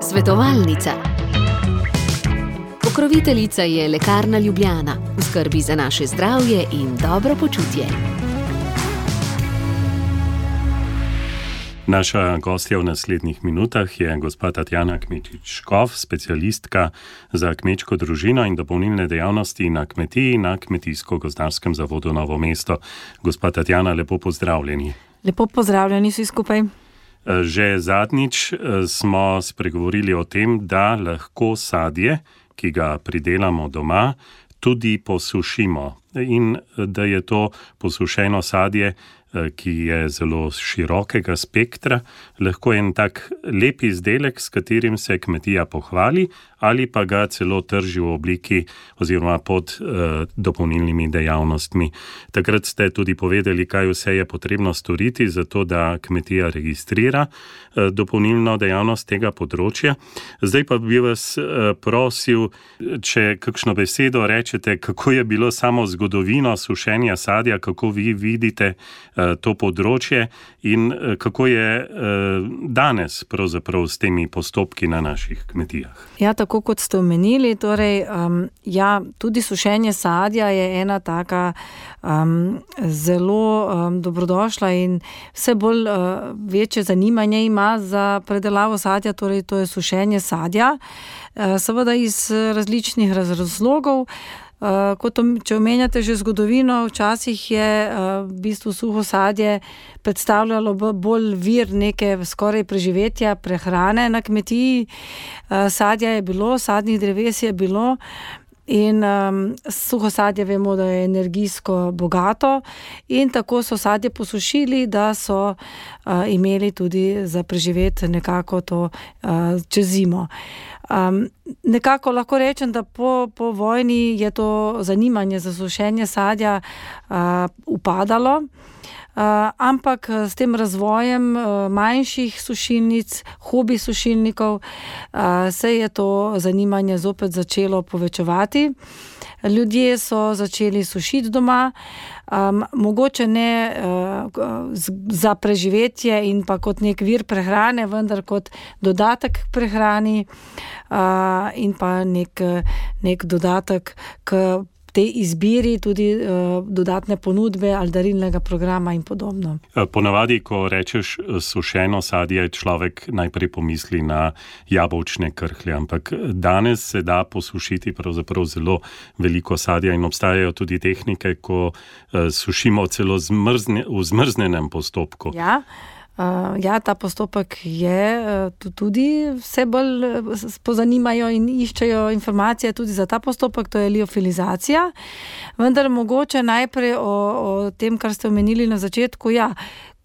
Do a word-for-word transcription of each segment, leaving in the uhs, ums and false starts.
Svetovalnica. Pokroviteljica je Lekarna Ljubljana, v skrbi za naše zdravje in dobro počutje. Naša gostja v naslednjih minutah je gospa Tatjana Kmetič-Škof, specialistka za kmečko družino in dopolnilne dejavnosti na kmetiji na Kmetijsko-gozdarskem zavodu Novo mesto. Gospa Tatjana, lepo pozdravljeni. Lepo pozdravljeni vsi skupaj. Že zadnjič smo spregovorili o tem, da lahko sadje, ki ga pridelamo doma, tudi posušimo in da je to posušeno sadje, ki je zelo širokega spektra, lahko en tak lep izdelek, s katerim se kmetija pohvali ali pa ga celo trži v obliki oziroma pod eh, dopolnilnimi dejavnostmi. Takrat ste tudi povedali, kaj vse je potrebno storiti, zato da kmetija registrira eh, dopolnilno dejavnost tega področja. Zdaj pa bi vas eh, prosil, če kakšno besedo rečete, kako je bilo samo zgodovino sušenja sadja, kako vi vidite eh, to področje in eh, kako je eh, danes pravzaprav s temi postopki na naših kmetijah. Ja, tako kot ste omenili, torej, um, ja, tudi sušenje sadja je ena taka um, zelo um, dobrodošla in vse bolj uh, večje zanimanje ima za predelavo sadja, torej to je sušenje sadja, uh, seveda iz različnih razlogov. Uh, kot om, če omenjate že zgodovino, včasih je uh, v bistvu suho sadje predstavljalo bolj vir neke skoraj preživetja, prehrane na kmetiji. Uh, sadja je bilo, sadnih dreves je bilo in um, suho sadje vemo, da je energijsko bogato in tako so sadje posušili, da so uh, imeli tudi za preživeti nekako to uh, čez zimo. Um, nekako lahko rečem, da po, po vojni je to zanimanje za sušenje sadja uh, upadalo, uh, ampak s tem razvojem uh, manjših sušilnic, hobi sušilnikov, uh, se je to zanimanje zopet začelo povečevati. Ljudje so začeli sušiti doma, um, mogoče ne uh, z, za preživetje in pa kot nek vir prehrane, vendar kot dodatek k prehrani uh, in pa nek, nek dodatek k tej izbiri, tudi uh, dodatne ponudbe ali darilnega programa in podobno. Ponavadi, ko rečeš sušeno sadje, človek najprej pomisli na jabolčne krhlje, ampak danes se da posušiti pravzaprav zelo veliko sadja in obstajajo tudi tehnike, ko uh, sušimo celo zmrzne, v zmrznenem postopku. Ja. Uh, ja, ta postopek je uh, tudi vse bolj uh, pozanimajo in iščejo informacije tudi za ta postopek, to je liofilizacija. Vendar mogoče najprej o, o tem, kar ste omenili na začetku, ja,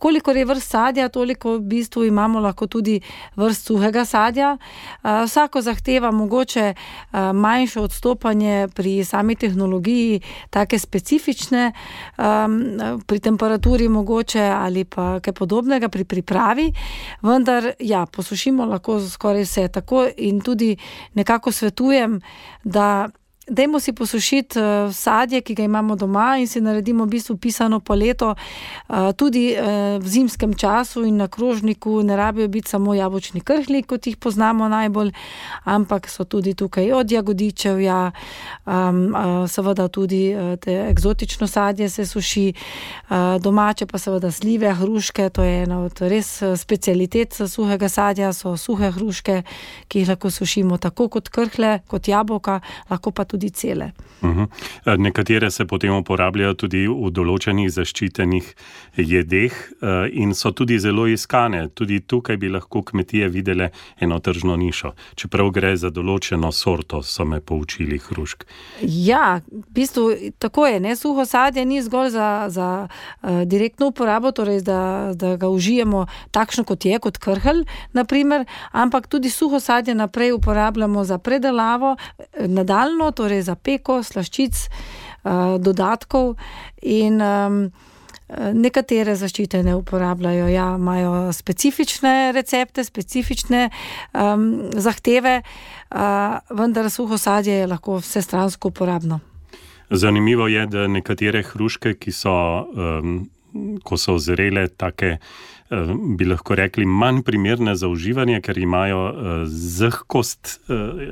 kolikor je vrst sadja, toliko v bistvu imamo lahko tudi vrst suhega sadja. Uh, vsako zahteva mogoče uh, manjše odstopanje pri sami tehnologiji, take specifične, um, pri temperaturi mogoče ali pa kaj podobnega pri pripravi, vendar ja, posušimo lahko skoraj vse tako in tudi nekako svetujem, da dajmo si posušiti uh, sadje, ki ga imamo doma in si naredimo v bistvu pisano paleto uh, tudi uh, v zimskem času in na krožniku ne rabijo biti samo jabolčni krhlji, kot jih poznamo najbolj, ampak so tudi tukaj od jagodičevja, um, uh, seveda tudi uh, te eksotično sadje se suši, uh, domače pa seveda slive, hruške, to je ena od res specialitet suhega sadja, so suhe hruške, ki jih lahko sušimo tako kot krhlje, kot jabolka, lahko pa tudi cele. Uh-huh. Nekatere se potem uporabljajo tudi v določenih zaščitenih jedeh in so tudi zelo iskane. Tudi tukaj bi lahko kmetije videle eno tržno nišo. Čeprav gre za določeno sorto, so me poučili hrušk. Ja, v bistvu tako je, ne? Suho sadje ni zgolj za, za uh, direktno uporabo, torej da, da ga užijemo takšno kot je, kot krhelj, naprimer, ampak tudi suho sadje naprej uporabljamo za predelavo, nadaljno, torej za peko, slaščic, uh, dodatkov in um, nekatere zaščite ne uporabljajo. Ja, imajo specifične recepte, specifične um, zahteve, uh, vendar suho sadje je lahko vsestransko uporabno. Zanimivo je, da nekatere hruške, ki so, um, ko so zrele, take bi lahko rekli, manj primerne za uživanje, ker imajo zahkost,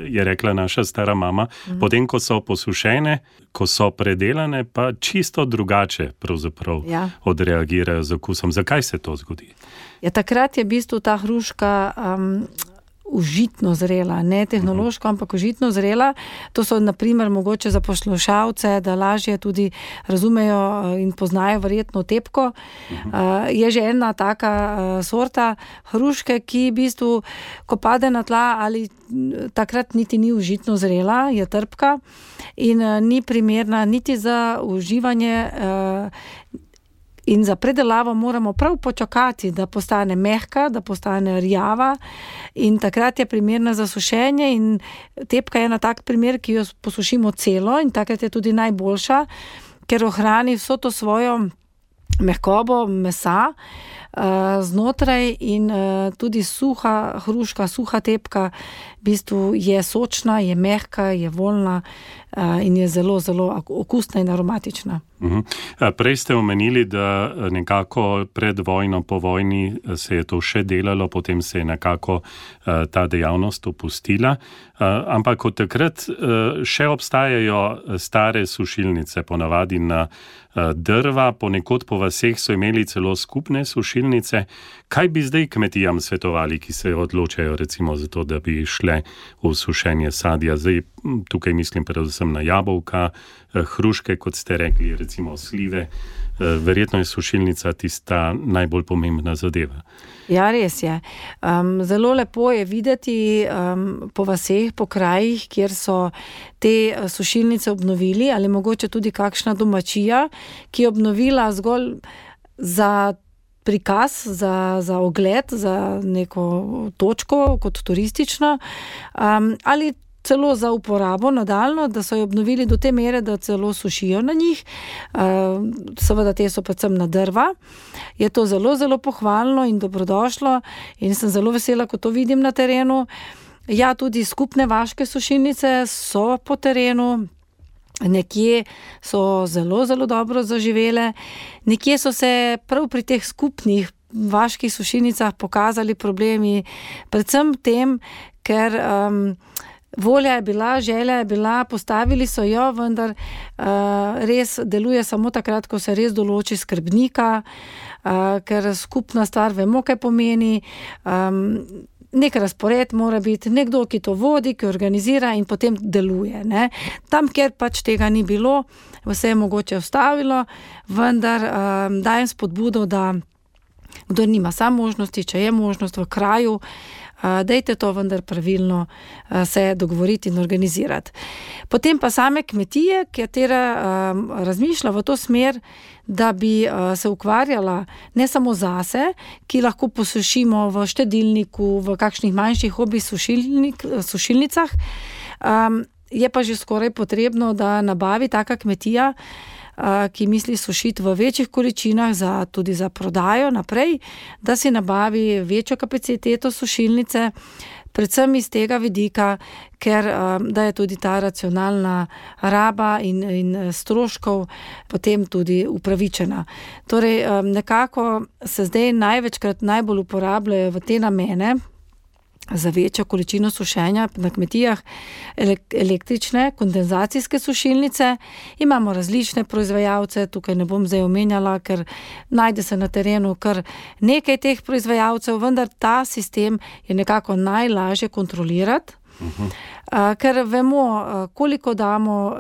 je rekla naša stara mama, mm. potem, ko so posušene, ko so predelane, pa čisto drugače pravzaprav ja. odreagirajo z okusom. Zakaj se to zgodi? Ja, takrat je v bistvu ta hruška um, užitno zrela, ne tehnološko, uh-huh. ampak užitno zrela. To so naprimer mogoče za poslušalce, da lažje tudi razumejo in poznajo verjetno tepko. Uh-huh. Uh, je že ena taka uh, sorta hruške, ki v bistvu, ko pade na tla, ali takrat niti ni užitno zrela, je trpka in uh, ni primerna niti za uživanje. Uh, In za predelavo moramo prav počakati, da postane mehka, da postane rjava in takrat je primerna za sušenje in tepka je na tak primer, ki jo posušimo celo in takrat je tudi najboljša, ker ohrani vso to svojo mehkobo mesa uh, znotraj in uh, tudi suha hruška, suha tepka v bistvu je sočna, je mehka, je voljna uh, in je zelo, zelo okusna in aromatična. Uh-huh. Prej ste omenili, da nekako pred vojno, po vojni se je to še delalo, potem se je nekako uh, ta dejavnost opustila, uh, ampak od takrat uh, še obstajajo stare sušilnice, ponavadi na uh, drva, ponekod po vaseh so imeli celo skupne sušilnice. Kaj bi zdaj kmetijam svetovali, ki se odločajo recimo za to, da bi šle v sušenje sadja? Zdaj tukaj mislim predvsem na jabolka, hruške, kot ste rekli, recimo slive. Verjetno je sušilnica tista najbolj pomembna zadeva. Ja, res je. Um, zelo lepo je videti um, po vaseh, po krajih, kjer so te sušilnice obnovili, ali mogoče tudi kakšna domačija, ki je obnovila zgolj za prikaz, za, za ogled, za neko točko kot turistično, um, ali celo za uporabo nadaljno, da so jo obnovili do te mere, da celo sušijo na njih. Uh, seveda te so predvsem na drva. Je to zelo, zelo pohvalno in dobrodošlo in sem zelo vesela, ko to vidim na terenu. Ja, tudi skupne vaške sušilnice so po terenu, nekje so zelo, zelo dobro zaživele, nekje so se prav pri teh skupnih vaških sušilnicah pokazali problemi, predvsem tem, ker um, volja je bila, želja je bila, postavili so jo, vendar uh, res deluje samo takrat, ko se res določi skrbnika, uh, ker skupna stvar vemo, kaj pomeni. Um, nek razpored mora biti, nekdo, ki to vodi, ki organizira in potem deluje. Ne? Tam, kjer pač tega ni bilo, vse je mogoče ustavilo, vendar um, dajem spodbudo, da kdo nima sam možnosti, če je možnost v kraju, uh, dejte to vendar pravilno uh, se dogovoriti in organizirati. Potem pa same kmetije, katera um, razmišlja v to smer, da bi uh, se ukvarjala ne samo zase, ki lahko posušimo v štedilniku, v kakšnih manjših hobi sušilnik, sušilnicah, um, je pa že skoraj potrebno, da nabavi taka kmetija, uh, ki misli sušiti v večjih količinah, za, tudi za prodajo naprej, da si nabavi večjo kapaciteto sušilnice, predvsem iz tega vidika, ker da je tudi ta racionalna raba in, in stroškov potem tudi upravičena. Torej, nekako se zdaj največkrat najbolj uporabljajo v te namene, za večjo količino sušenja na kmetijah električne kondenzacijske sušilnice. Imamo različne proizvajalce, tukaj ne bom zdaj omenjala, ker najde se na terenu kar nekaj teh proizvajalcev, vendar ta sistem je nekako najlažje kontrolirati, uh-huh. ker vemo, koliko damo.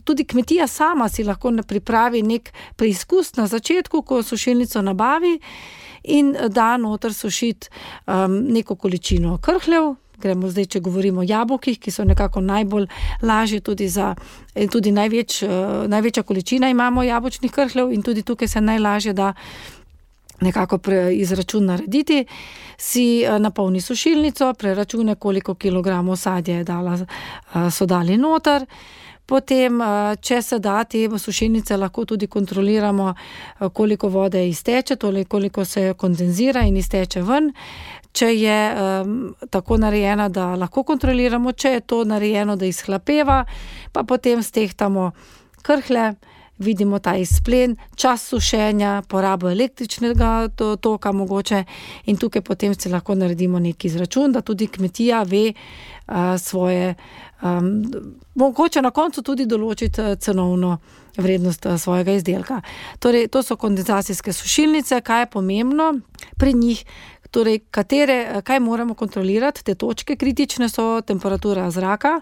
Tudi kmetija sama si lahko pripravi nek preizkus na začetku, ko sušilnico nabavi, in da noter sušiti um, neko količino krhljev. Gremo zdaj, če govorimo o jabolkih, ki so nekako najbolj lažje tudi za, tudi največ, uh, največja količina imamo jabolčnih krhljev in tudi tukaj se najlažje da nekako izračun narediti. Si uh, napolni sušilnico, preračune, koliko kilogramov sadja je dala, uh, so dali noter. Potem, če se da, te sušilnice lahko tudi kontroliramo, koliko vode izteče, toliko koliko se kondenzira in izteče ven. Če je um, tako narejena, da lahko kontroliramo, če je to narejeno, da izhlapeva, pa potem stehtamo krhlje vidimo ta izplen, čas sušenja, porabo električnega toka mogoče in tukaj potem se lahko naredimo neki izračun, da tudi kmetija ve uh, svoje, um, mogoče na koncu tudi določiti cenovno vrednost uh, svojega izdelka. Torej, to so kondenzacijske sušilnice, kaj je pomembno pri njih, torej, katere, kaj moramo kontrolirati, te točke kritične so temperatura zraka,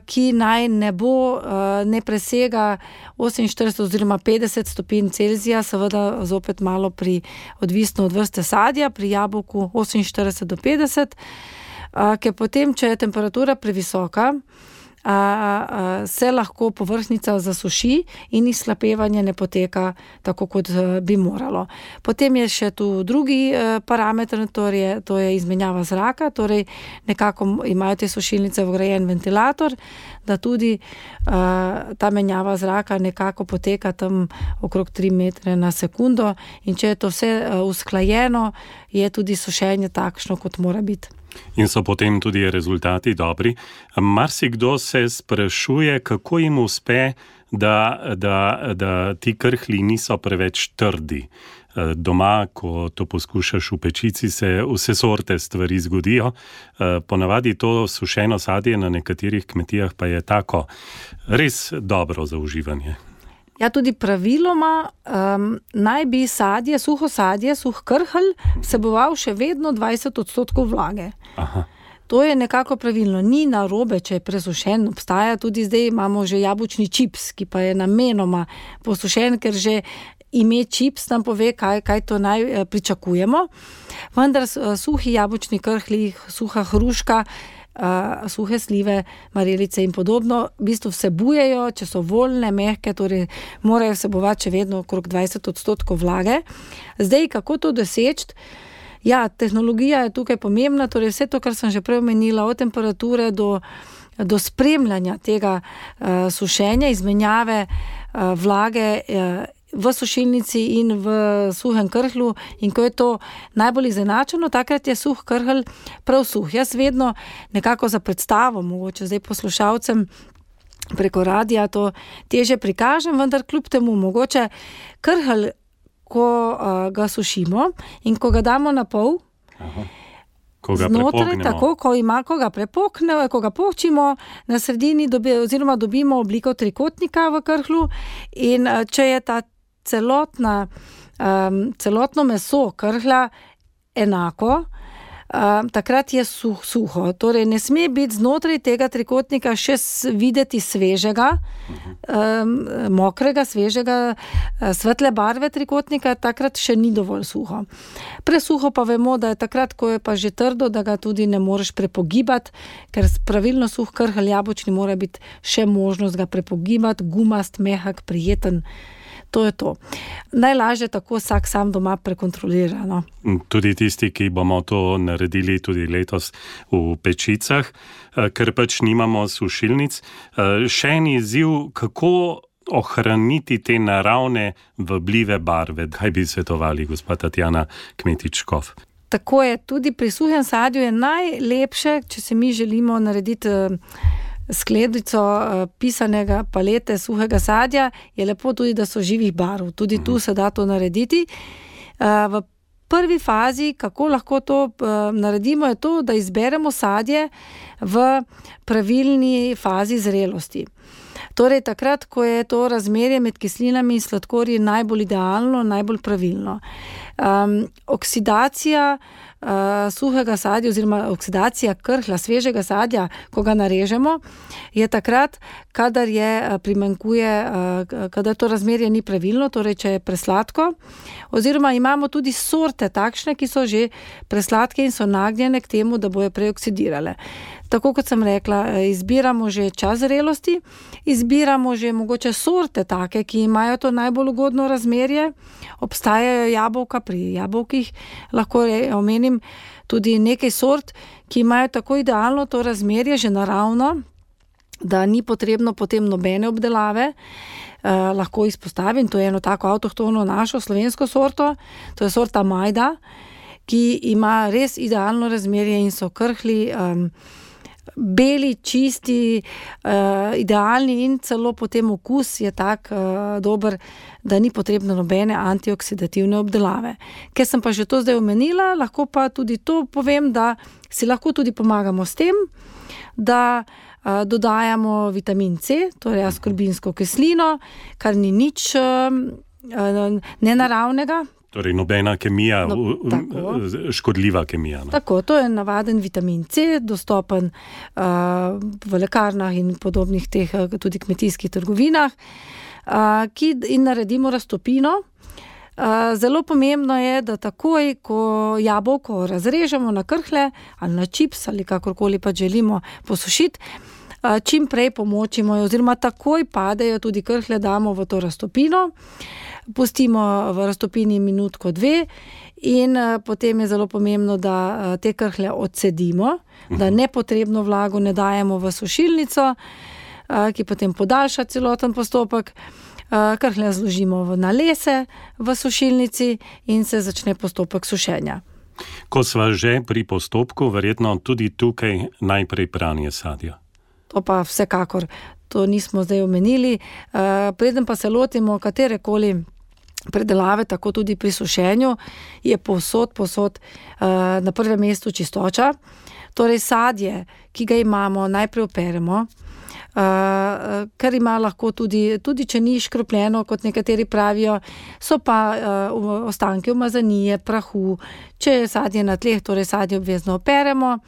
ki naj ne bo, ne presega oseminštirideset oziroma petdeset stopinj Celzija, seveda zopet malo pri, odvisno od vrste sadja, pri jabolku oseminštirideset do petdeset, ker potem, če je temperatura previsoka, A, a, se lahko površnica zasuši in izhlapevanje ne poteka tako, kot bi moralo. Potem je še tu drugi e, parameter, torej, to je izmenjava zraka, torej nekako imajo te sušilnice vgrajen ventilator, da tudi e, ta menjava zraka nekako poteka tam okrog tri metre na sekundo in če je to vse e, usklajeno, je tudi sušenje takšno, kot mora biti. In so potem tudi rezultati dobri. Marsikdo se sprašuje, kako jim uspe, da, da, da ti krhlji niso preveč trdi. Doma, ko to poskušaš v pečici, se vse sorte stvari zgodijo. Ponavadi to sušeno sadje na nekaterih kmetijah pa je tako res dobro za uživanje. Ja, tudi praviloma um, naj bi sadje, suho sadje, suh krhelj vseboval še vedno dvajset odstotkov vlage. Aha. To je nekako pravilno. Ni narobe, če je presušen. Obstaja tudi zdaj, imamo že jabolčni čips, ki pa je namenoma posušen, ker že ime čips nam pove, kaj, kaj to naj pričakujemo. Vendar suhi jabolčni krhlji, suha hruška, Uh, suhe slive, marelice in podobno, v bistvu vsebujejo, če so voljne, mehke, torej morajo vsebovati še vedno okrog dvajset odstotkov vlage. Zdaj, kako to doseči? Ja, tehnologija je tukaj pomembna, torej vse to, kar sem že prej omenila, od temperature do, do spremljanja tega uh, sušenja, izmenjave uh, vlage uh, v sušilnici in v suhem krhlju in ko je to najbolj izenačeno, takrat je suh krhlj prav suh. Jaz vedno nekako za predstavo, mogoče zdaj poslušalcem preko radija to teže prikažem, vendar kljub temu mogoče krhlj, ko uh, ga sušimo in ko ga damo na pol, Aha. Ko ga znotraj, tako, ko ima, ko ga prepoknemo, ko ga počimo, na sredini dobi, oziroma dobimo obliko trikotnika v krhlju in uh, če je ta celotna, um, celotno meso krhlja enako, um, takrat je suh, suho. Torej ne sme biti znotraj tega trikotnika še videti svežega, um, mokrega, svežega, svetle barve trikotnika, takrat še ni dovolj suho. Presuho pa vemo, da je takrat, ko je pa že trdo, da ga tudi ne moreš prepogibati, ker pravilno suh krhlj jabolčni mora biti še možnost ga prepogibati, gumast, mehak, prijeten. To je to. Najlažje tako vsak sam doma prekontrolira. No? Tudi tisti, ki bomo to naredili tudi letos v pečicah, ker pač nimamo sušilnic. Še en izziv, kako ohraniti te naravne vabljive barve. Kaj bi svetovali, gospa Tatjana Kmetič-Škof? Tako je, tudi pri suhem sadju je najlepše, če se mi želimo narediti skledico pisanega palete suhega sadja, je lepo tudi, da so živih barv. Tudi tu se da to narediti. V prvi fazi, kako lahko to naredimo, je to, da izberemo sadje v pravilni fazi zrelosti. Torej, takrat, ko je to razmerje med kislinami in sladkorji najbolj idealno, najbolj pravilno. Um, oksidacija uh, suhega sadja oziroma oksidacija krhlja, svežega sadja, ko ga narežemo, je takrat, kadar je primanjkuje, uh, kadar to razmerje ni pravilno, torej, če je presladko, oziroma imamo tudi sorte takšne, ki so že presladke in so nagnjene k temu, da bojo preoksidirale. Tako kot sem rekla, izbiramo že čas zrelosti, izbiramo že mogoče sorte take, ki imajo to najbolj ugodno razmerje. Obstajajo jabolka, pri jabolkih lahko omenim tudi nekaj sort, ki imajo tako idealno to razmerje že naravno, da ni potrebno potem nobene obdelave. Eh, lahko izpostavim, to je eno tako avtohtono našo slovensko sorto, to je sorta Majda, ki ima res idealno razmerje in so krhlji um, beli, čisti, uh, idealni in celo potem okus je tak uh, dober, da ni potrebno nobene antioksidativne obdelave. Ker sem pa že to zdaj omenila, lahko pa tudi to povem, da si lahko tudi pomagamo s tem, da uh, dodajamo vitamin C, torej askorbinsko kislino, kar ni nič uh, nenaravnega. Torej nobena kemija, No, tako. škodljiva kemija. No? Tako, to je navaden vitamin C, dostopen uh, v lekarnah in podobnih teh uh, tudi kmetijskih trgovinah, uh, ki in naredimo raztopino. Uh, zelo pomembno je, da takoj, ko jabolko razrežemo na krhlje ali na čips ali kakorkoli pa želimo posušiti, uh, čim prej pomočimo oziroma takoj padejo tudi krhlje, damo v to raztopino. Pustimo v raztopini minutko dve in uh, potem je zelo pomembno, da uh, te krhlje odcedimo, uh-huh. da nepotrebno vlago ne dajemo v sušilnico, uh, ki potem podaljša celoten postopek. Uh, krhlje zložimo v nalese v sušilnici in se začne postopek sušenja. Ko sva že pri postopku, verjetno tudi tukaj najprej pranje sadja. To pa vsekakor, to nismo zdaj omenili. Uh, preden pa se lotimo katerekoli predelave, tako tudi pri sušenju, je povsod, povsod uh, na prvem mestu čistoča. Torej sadje, ki ga imamo, najprej operemo, uh, ker ima lahko tudi, tudi če ni škropljeno, kot nekateri pravijo, so pa uh, ostanke umazanije, prahu. Če je sadje na tleh, torej sadje obvezno operemo.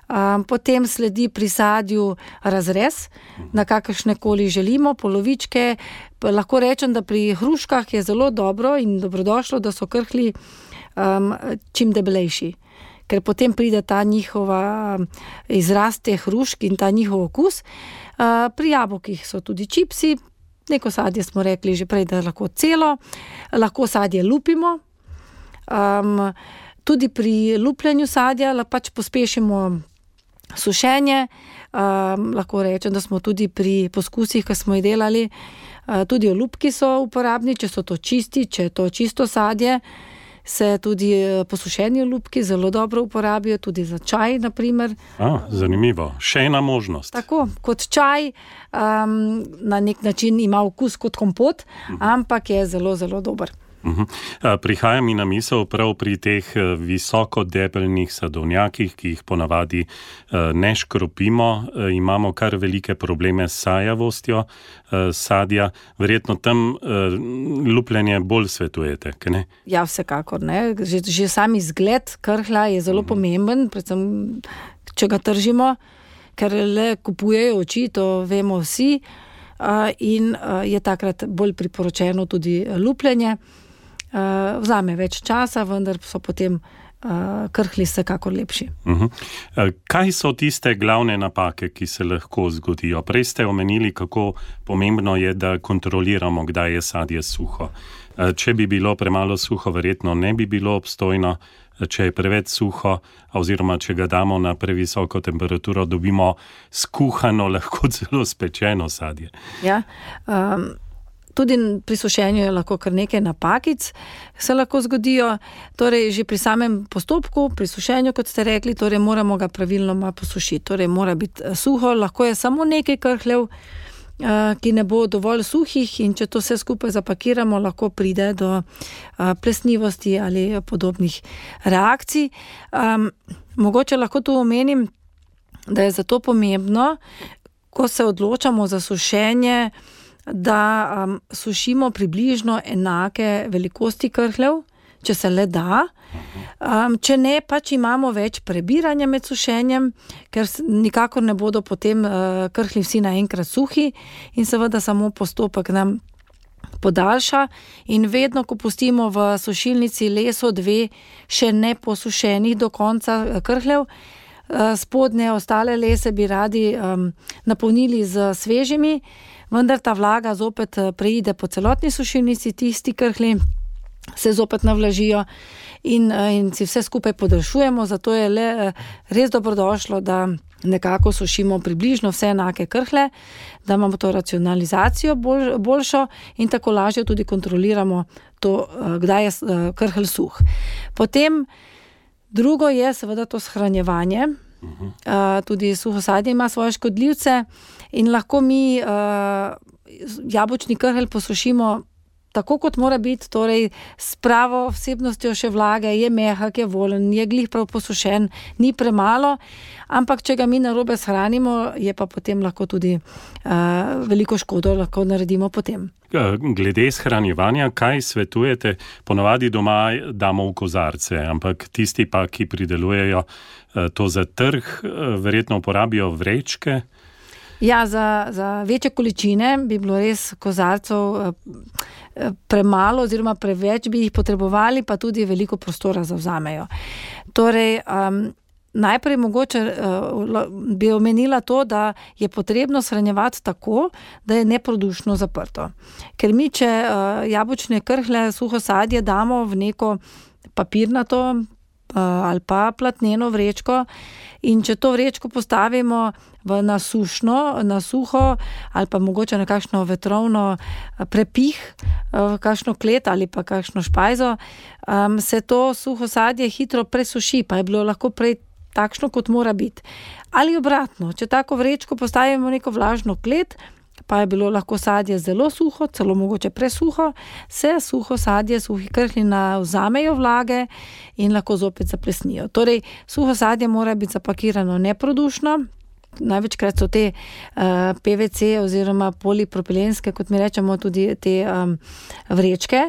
Um, potem sledi pri sadju razrez, na kakršne koli želimo, polovičke. Lahko rečem, da pri hruškah je zelo dobro in dobrodošlo, da so krhlji um, čim debelejši. Ker potem pride ta njihova izrast teh hrušk in ta njihov okus. Uh, pri jabolkih so tudi čipsi, neko sadje smo rekli že prej, da lahko celo, lahko sadje lupimo. Um, tudi pri lupljenju sadja pač pospešimo sušenje, um, lahko rečem, da smo tudi pri poskusih, ki smo jih delali, uh, tudi olupki so uporabni, če so to čisti, če je to čisto sadje, se tudi posušeni olupki zelo dobro uporabijo, tudi za čaj, na primer. A, zanimivo. Še ena možnost. Tako, kot čaj, um, na nek način ima okus kot kompot, uh-huh. ampak je zelo, zelo dober. Uh-huh. Prihaja mi na misel prav pri teh visoko debelnih sadovnjakih, ki jih ponavadi ne škropimo, imamo kar velike probleme s sajavostjo sadja. Verjetno tam lupljenje bolj svetujete, kaj ne? Ja, vsekakor, ne. Že, že sam izgled krhlja je zelo uh-huh. pomemben, predvsem, če ga tržimo, ker le kupujejo oči, to vemo vsi, in je takrat bolj priporočeno tudi lupljenje. Uh, vzame več časa, vendar so potem uh, krhlji vsekakor lepši. Uh-huh. Kaj so tiste glavne napake, ki se lahko zgodijo? Prej ste omenili, kako pomembno je, da kontroliramo, kdaj je sadje suho. Uh, če bi bilo premalo suho, verjetno ne bi bilo obstojno. Če je preveč suho, oziroma če ga damo na previsoko temperaturo, dobimo skuhano, lahko celo spečeno sadje. Ja, um, tudi pri sušenju je lahko kar nekaj napakic, se lahko zgodijo. Torej, že pri samem postopku, pri sušenju, kot ste rekli, torej moramo ga pravilno posušiti. Torej, mora biti suho, lahko je samo nekaj krhljev, ki ne bo dovolj suhih, in če to vse skupaj zapakiramo, lahko pride do plesnivosti ali podobnih reakcij. Um, mogoče lahko tu omenim, da je zato pomembno, ko se odločamo za sušenje, da um, sušimo približno enake velikosti krhljev, če se le da. Um, če ne, pač imamo več prebiranja med sušenjem, ker nikakor ne bodo potem uh, krhlji vsi naenkrat suhi in seveda samo postopek nam podaljša. In vedno, ko pustimo v sušilnici leso dve še ne posušenih do konca krhljev, uh, spodnje ostale lese bi radi um, napolnili z svežimi, vendar ta vlaga zopet preide po celotni sušilnici, tisti krhlji se zopet navlažijo in, in si vse skupaj podaljšujemo, zato je le res dobrodošlo, da nekako sušimo približno vse enake krhlje, da imamo to racionalizacijo bolj, boljšo in tako lažje tudi kontroliramo to, kdaj je krhlj suh. Potem drugo je seveda to shranjevanje. uh-huh. uh, tudi suho sadje ima svoje škodljivce in lahko mi uh, jabolčni krhelj posušimo tako, kot mora biti, torej s pravo vsebnostjo še vlage, je mehak, je volen, je glih prav posušen, ni premalo, ampak če ga mi narobe shranimo, je pa potem lahko tudi uh, veliko škodo lahko naredimo potem. Glede shranjevanja, kaj svetujete? Ponavadi doma damo v kozarce, ampak tisti pa, ki pridelujejo to za trg, verjetno uporabijo vrečke? Ja, za, za večje količine bi bilo res kozarcev premalo oziroma preveč bi jih potrebovali, pa tudi veliko prostora zavzamejo. Torej, um, najprej mogoče uh, bi omenila to, da je potrebno shranjevati tako, da je neprodušno zaprto. Ker mi, če uh, jabolčne krhlje, suho sadje damo v neko papirnato uh, ali pa platneno vrečko in če to vrečko postavimo v nasušno, na suho ali pa mogoče na kakšno vetrovno prepih, v kakšno klet ali pa kakšno špajzo, um, se to suho sadje hitro presuši, pa je bilo lahko prej takšno, kot mora biti. Ali obratno, če tako vrečko postavimo v neko vlažno klet, pa je bilo lahko sadje zelo suho, celo mogoče presuho, se suho sadje, suhi krhlji navzamejo vlage in lahko zopet zaplesnijo. Torej, suho sadje mora biti zapakirano neprodušno, največkrat so te uh, P V C oziroma polipropilenske, kot mi rečemo, tudi te um, vrečke,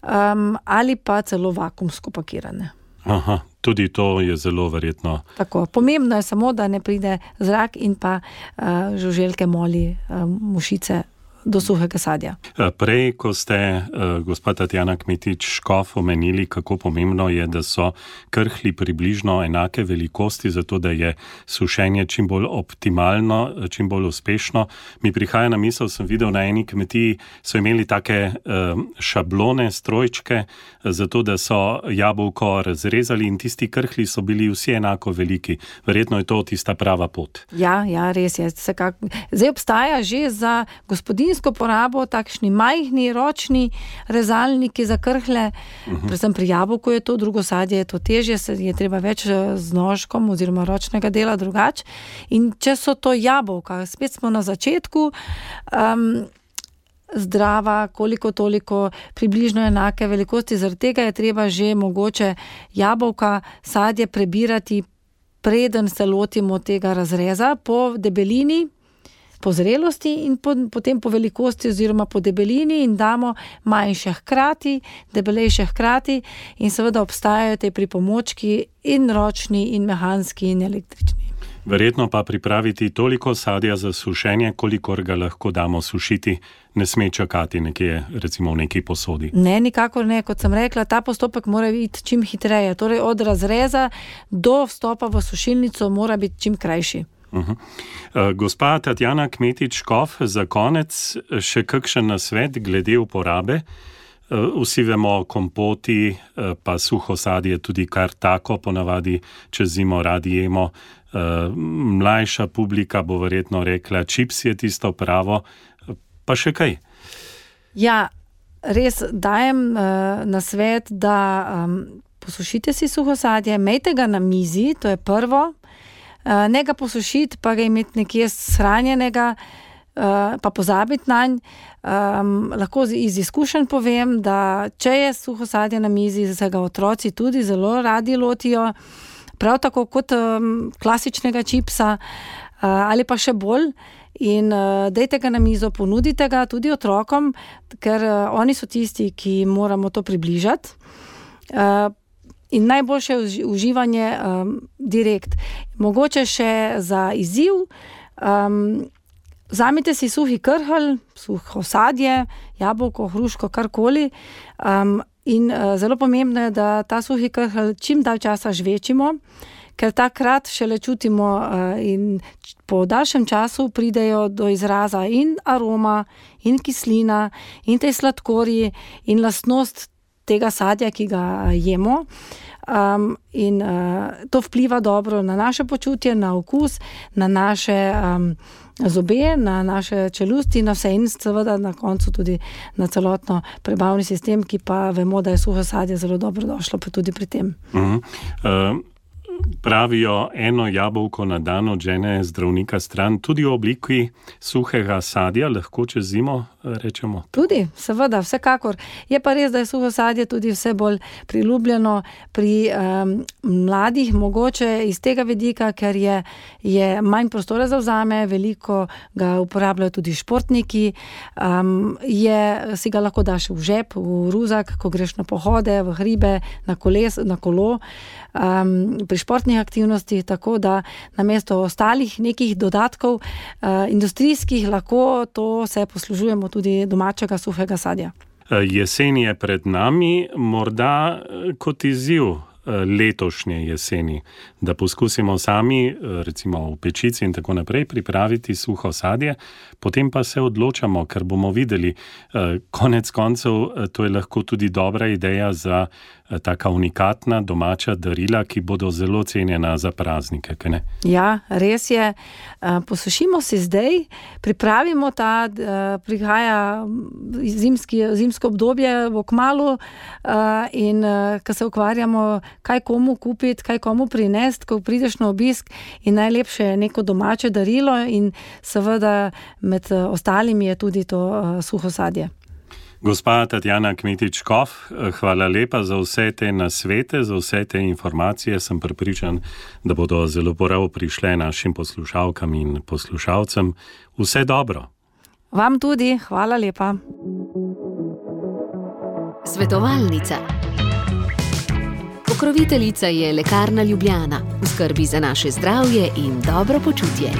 um, ali pa celo vakuumsko pakirane. Aha, tudi to je zelo verjetno. Tako, pomembno je samo, da ne pride zrak in pa uh, žuželke, moli, uh, mušice do suhega sadja. Prej, ko ste, uh, gospa Tatjana Kmetič-Škof, omenili, kako pomembno je, da so krhlji približno enake velikosti, zato da je sušenje čim bolj optimalno, čim bolj uspešno. Mi prihaja na misel, sem videl na eni kmetiji, so imeli take uh, šablone, strojčke, zato da so jabolko razrezali in tisti krhlji so bili vsi enako veliki. Verjetno je to tista prava pot. Ja, ja, res je. Zdaj obstaja že za gospodinjsko porabo takšni majhni, ročni rezalniki za krhlje. Uh-huh. Predvsem pri jabolku je to, drugo sadje je to težje, se je treba več z nožkom oziroma ročnega dela drugače. In če so to jabolka, spet smo na začetku, um, zdrava, koliko toliko, približno enake velikosti, zaradi tega je treba že mogoče jabolka, sadje prebirati, preden se lotimo tega razreza po debelini, po zrelosti in po, potem po velikosti oziroma po debelini in damo manjše hkrati, debelejše hkrati in seveda obstajajo te pripomočki in ročni in mehanski in električni. Verjetno pa pripraviti toliko sadja za sušenje, kolikor ga lahko damo sušiti, ne sme čakati nekje, recimo v neki posodi. Ne, nikakor ne. Kot sem rekla, ta postopek mora biti čim hitreje. Torej od razreza do vstopa v sušilnico mora biti čim krajši. Uh-huh. Uh, gospa Tatjana Kmetič-Škof, za konec še kakšen nasvet glede uporabe? Uh, vsi vemo, kompoti, uh, pa suho sadje tudi kar tako, ponavadi čez zimo radi jemo. Uh, mlajša publika bo verjetno rekla, čips je tisto pravo, pa še kaj? Ja, res dajem uh, nasvet, da um, posušite si suho sadje, imejte ga na mizi, to je prvo, uh, ne ga posušiti, pa ga imeti nekje shranjenega, uh, pa pozabiti nanj. Um, lahko iz izkušenj povem, da če je suho sadje na mizi, se ga otroci tudi zelo radi lotijo, prav tako kot um, klasičnega čipsa uh, ali pa še bolj. In uh, dejte ga na mizo, ponudite ga tudi otrokom, ker uh, oni so tisti, ki moramo to približati. Uh, in najboljše je uživanje um, direkt. Mogoče še za izziv, um, vzamite si suhi krhelj, suho sadje, jabolko, hruško, karkoli, um, in uh, zelo pomembno je, da ta suhi krhelj čim dalj časa žvečimo, ker takrat šele čutimo uh, in po daljšem času pridejo do izraza in aroma, in kislina, in te sladkorji, in lastnost tega sadja, ki ga jemo. Um, in uh, to vpliva dobro na naše počutje, na okus, na naše um, zobe, na naše čelusti, na vse in seveda na koncu tudi na celotno prebavni sistem, ki pa vemo, da je suho sadje zelo dobro došlo pa tudi pri tem. Uh-huh. Uh, Pravijo, eno jabolko na dan odžene zdravnika stran, tudi v obliki suhega sadja, lahko čez zimo rečemo. Tudi, seveda, vsekakor. Je pa res, da je suho sadje tudi vse bolj priljubljeno pri um, mladih, mogoče iz tega vidika, ker je, je manj prostora zavzame, veliko ga uporabljajo tudi športniki, um, je, si ga lahko daš v žep, v ruzak, ko greš na pohode, v hribe, na, koles, na kolo, um, pri športnih aktivnostih, tako da namesto ostalih nekih dodatkov uh, industrijskih lahko to se poslužujemo tudi domačega suhega sadja. Jesen je pred nami, morda kot izziv letošnje jeseni, da poskusimo sami, recimo v pečici in tako naprej, pripraviti suho sadje, potem pa se odločamo, ker bomo videli, konec koncev, to je lahko tudi dobra ideja za taka unikatna domača darila, ki bodo zelo cenjena za praznike, kaj ne? Ja, res je. Posušimo si zdaj, pripravimo ta, prihaja zimski, zimsko obdobje v kmalu in ko se ukvarjamo, kaj komu kupiti, kaj komu prinesti, ko prideš na obisk in najlepše je neko domače darilo in seveda med ostalimi je tudi to suho sadje. Gospa Tatjana Kmetič-Kof, hvala lepa za vse te nasvete, za vse te informacije. Sem prepričan, da bodo zelo prav prišle našim poslušalkam in poslušalcem. Vse dobro. Vam tudi, hvala lepa. Svetovalnica. Pokroviteljica je Lekarna Ljubljana, v skrbi za naše zdravje in dobro počutje.